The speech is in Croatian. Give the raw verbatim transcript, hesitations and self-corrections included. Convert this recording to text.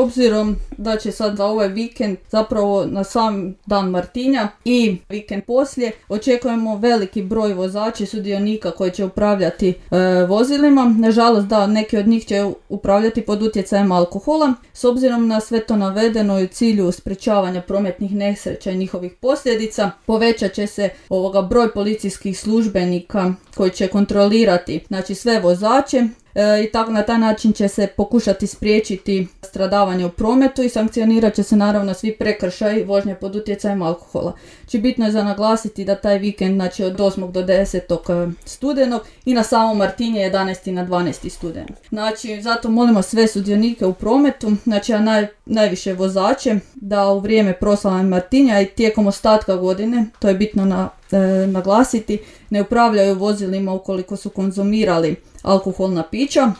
obzirom da će sad za ovaj vikend, zapravo na sam dan Martinja i vikend poslije, očekujemo veliki broj vozača i sudionika koji će upravljati e, vozilima. Nažalost, da, neki od njih će upravljati pod utjecajem alkohola. S obzirom na sve to navedeno i u cilju sprečavanja prometnih nesreća i njihovih posljedica, povećat će se ovoga broj policijskih službenika koji će kontrolirati, znači, sve vozače. E, i tako na taj način će se pokušati spriječiti stradavanje u prometu i sankcionirat će se naravno svi prekršaji vožnje pod utjecajem alkohola. Znači, bitno je za naglasiti da taj vikend, znači, od osmog do desetog studenog i na samom Martinje jedanaesti na dvanaesti studenog. Znači, zato molimo sve sudionike u prometu, znači, a naj, najviše vozače, da u vrijeme proslave Martinja i tijekom ostatka godine, to je bitno na, e, naglasiti, ne upravljaju vozilima ukoliko su konzumirali alkoholna pića.